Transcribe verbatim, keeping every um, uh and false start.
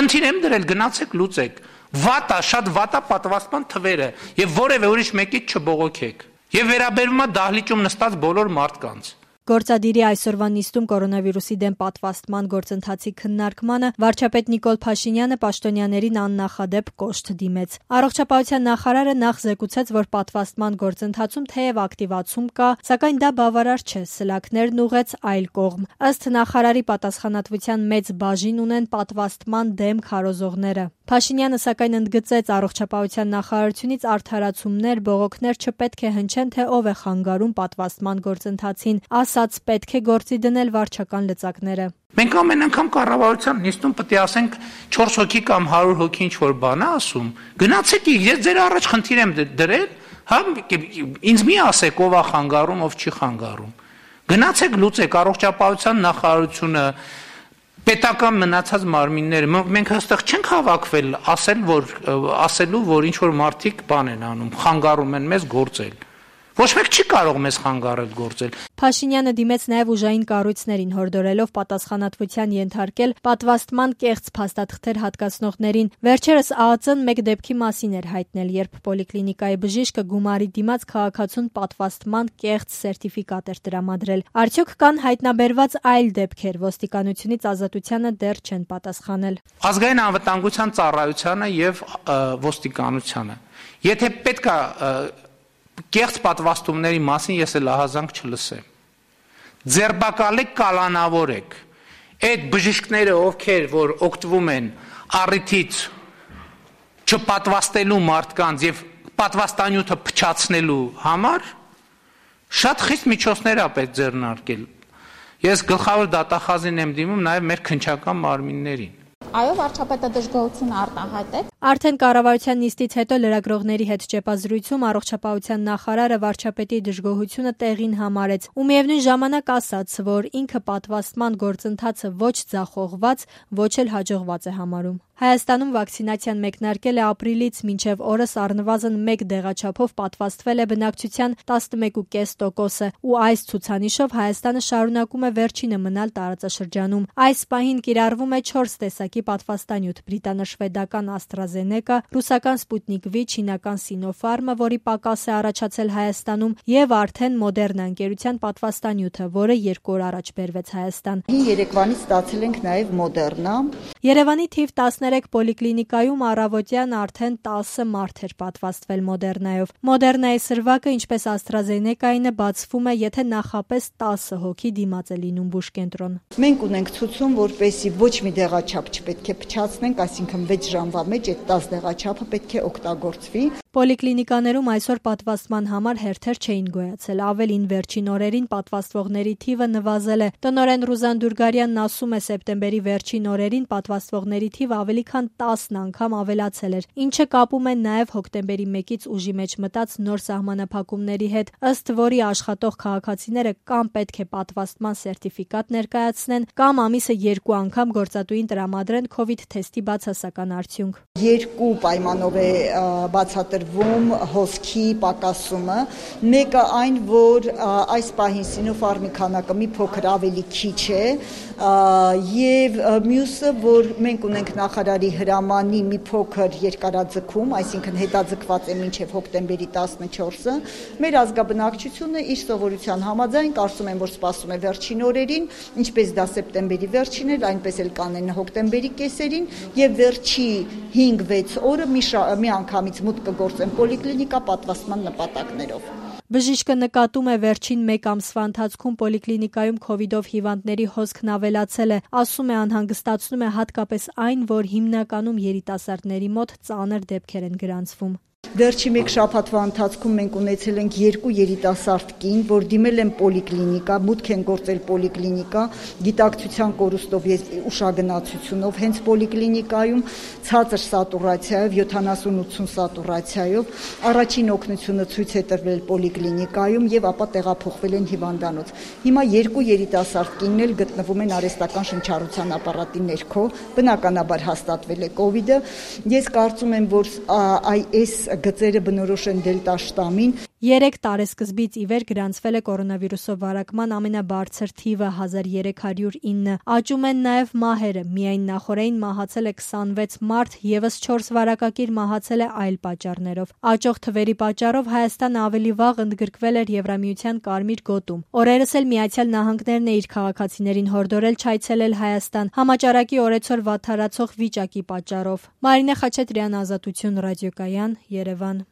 Խնդիր եմ դրել, գնացեք լուծեք։ Վատա, շատ վատա պատվաստման թվերը եւ որևէ ուրիշ մեկից չբողոքեք։ Եվ վերաբերում է դահլիճում նստած բոլոր մարդկանց։ Գործադիրի այսօրվա նիստում կորոնավիրուսի դեմ պատվաստման գործընթացի քննարկմանը վարչապետ Նիկոլ Փաշինյանը պաշտոնյաներին աննախադեպ կոշտ դիմեց։ Առողջապահության նախարարը նախ զեկուցեց, որ պատվաստման գործընթացում թեև ակտիվացում կա, սակայն դա բավարար չէ, սլաքներն ուղղեց այլ կողմ։ Ըստ նախարարի պատասխանատվության մեծ բաժին ունեն պատվաստման դեմ քարոզողները։ Փաշինյանը սակայն ընդգծեց առողջապահության նախարարությունից արդարացումներ, բողոքներ չպետք է հնչեն, թե ով է խանգարում պատվաստման գործընթացին, ասաց պետք է գործի դնել վարչական լծակները։ Մենք ամեն անգամ կառավարության նիստում պետք է ասենք չորս հոգի կամ հարյուր հոգի ինչ որ բան է ասում։ Գնացեք, ես ձեր առաջ խնդիր եմ դրել, հա, ինձ մի ասեք ով է խանգարում, ով չի խանգարում։ Գնացեք լուծեք առողջապահության նախարարությունը պետական մնացած մարմինները, մենք հստակ չենք հավաքվել ասել, որ ասելու, որ ինչ որ մարդիկ բան են անում, խանգարում են մեզ գործել։ Ոչ մեկ չի կարող մեզ խանգարել գործել։ Փաշինյանը դիմեց նաև ուժային կառույցներին, հորդորելով պատասխանատվության ենթարկել պատվաստման կեղծ փաստաթղթեր հատկացնողներին։ Վերջերս ԱԱԾ-ն մեկ դեպքի մասին էր հայտնել, երբ պոլիկլինիկայի բժիշկը գումարի դիմաց քաղաքացուն պատվաստման կեղծ սերտիֆիկատ էր տրամադրել։ Արդյոք կան հայտնաբերված այլ դեպքեր, ոստիկանությունից ազատությանը դեռ չեն պատասխանել։ Ազգային անվտանգության ծառայությանը եւ ոստիկանությանը։ Եթե պետք է կեղծ պատվաստումների մասին ես էլ ահազանգ չլսեմ։ Ձերբակալեք, կալանավորեք։ Այդ բժիշկները, ովքեր որ օգտվում են առիթից չպատվաստելու մարդկանց եւ պատվաստանյութը փչացնելու համար, շատ խիստ միջոցներ է պետք ձեռնարկել։ Ես գլխավոր դատախազին եմ դիմում նաեւ մեր քննչական մարմիններին։ Այո, վարչապետը դժգոհություն արտահայտեց։ Արդեն կառավարության նիստից հետո լրագրողների հետ ճեպազրույցում առողջապահության նախարարը վարչապետի դժգոհությունը տեղին համարեց ու միևնույն ժամանակ ասաց, որ ինքը պատվաստման գործընթացը ոչ ձախողված, ոչ էլ հաջողված է համարում։ Հայաստանում վակցինացիան մեկնարկել է ապրիլից մինչև օրս առնվազն մեկ դեղաչափով պատվաստվել է բնակչության տասնմեկ կόμμα պենս տոկոսը ու այս ցուցանիշով Հայաստանը շարունակում է վերջինը մնալ տարածաշրջանում։ Այս պահին կիրառվում է չորս տեսակի պատվաստանյութ՝ բրիտանա-շվեդական AstraZeneca, ռուսական Sputnik V, չինական Sinopharm-ը, որի պակաս է առաջացել Հայաստանում, եւ արդեն Moderna ընկերության պատվաստանյութը, որը երկու օր առաջ բերվեց Հայաստան։ Երեկվանից ստացել ենք նաեւ Moderna։ Երևանի թիվ տասներեք պոլիկլինիկայում առավոտյան արդեն տասը մարդ էր պատվաստվել Մոդեռնայով։ Մոդեռնայի սրվակը, ինչպես AstraZeneca-ինը, բացվում է, եթե նախապես տասը հոգի դիմաց է լինում բուժկենտրոն։ Մենք ունենք ցուցում, որպեսզի ոչ մի դեղաչափ չպետք է փչացնենք, այսինքն վեց ժամվա մեջ այդ տասը դեղաչափը պետք է օգտագործվի։ Պոլիկլինիկաներում այսօր պատվաստման համար հերթեր չէին գոյացել, ավելին վերջին օրերին պատվաստվողների թիվը նվազել է։ Տնօրեն Ռուզան Դուրգարյանն ասում է, սեպտեմբերի վերջին օրերին պատվաստվողների թիվը ավելի քան տասն անգամ ավելացել էր, ինչը կապում է նաև հոկտեմբերի մեկից ուժի մեջ մտած նոր սահմանափակումների հետ, ըստ որի աշխատող քաղաքացիները կամ պետք է պատվաստման սերտիֆիկատ ներկայացնեն, կամ ամիսը երկու անգամ գործատուին տրամադրեն COVID թեստի բացասական արդյունք։ Երկու պայմանով է բացատրվում հոսքի պակասումը, մեկը այն, որ այս պահին Sinopharm-ի քանակը մի փոքր ավելի քիչ է, եւ մյուսը, որ մենք ունենք նախարարի հրամանի մի փոքր երկարաձգում, այսինքն հետաձգված է մինչև հոկտեմբերի տասնչորսը, մեր ազգաբնակչությունը իր սովորության համաձայն կարծում եմ, որ սպասում է վերջին օրերին, ինչպես դա սեպտեմբերի վերջին էր, այնպես էլ կանեն հոկտեմբերի կեսերին, եւ վերջի հինգ-վեց օրը մի, մի անգամից մուտք կգործեն պոլիկլինիկա պատվաստման նպատակներով։ Բժիշկը նկատում է վերջին մեկ ամսվա ընթացքում պոլիկլինիկայում քովիդով հիվանդների հոսքն ավելացել է, ասում է, անհանգստացնում է հատկապես այն, որ հիմնականում երիտասարդների մոտ ծանր դեպքեր են գրանցվում։ Վերջի մեկ շաբաթվա ընթացքում մենք ունեցել ենք երկու երիտասարդ կին, որ դիմել են պոլիկլինիկա, մուտք են գործել պոլիկլինիկա, գիտակցության կորուստով եւ ուշագնացությունով, հենց պոլիկլինիկայում ցածր սատուրացիայով, յոթանասուն ութսուն սատուրացիայով, առաջին օգնությունը ցույց է տրվել պոլիկլինիկայում եւ ապա տեղափոխվել են հիվանդանոց։ Հիմա երկու երիտասարդ կինն էլ գտնվում են արհեստական շնչառության ապարատի ներքո, բնականաբար հաստատվել է կոവിഡ്-ը։ Ես կարծում եմ, որ այս գծերը բնորոշ են դելտա շտամին։ Երեք տարեսկզբից ի վեր գրանցվել է կորոնավիրուսով վարակման ամենաբարձր թիվը հազար երեք հարյուր ինը։ Աճում են նաև մահերը։ Միայն նախօրեին մահացել է քսանվեց մարդ, ևս չորս վարակակիր մահացել է այլ պատճառներով։ Աճող թվերի պատճառով Հայաստանը ավելի վաղ ընդգրկվել էր Եվրամիության կարմիր գոտում։ Օրերս էլ Միացյալ Նահանգներն է իր քաղաքացիներին հորդորել չայցելել Հայաստան համաճարակի օրեցօր վատթարացող վիճակի պատճառով։ Մարինե Խաչատրյան, Ազատություն ռադիոկայան, Երևան։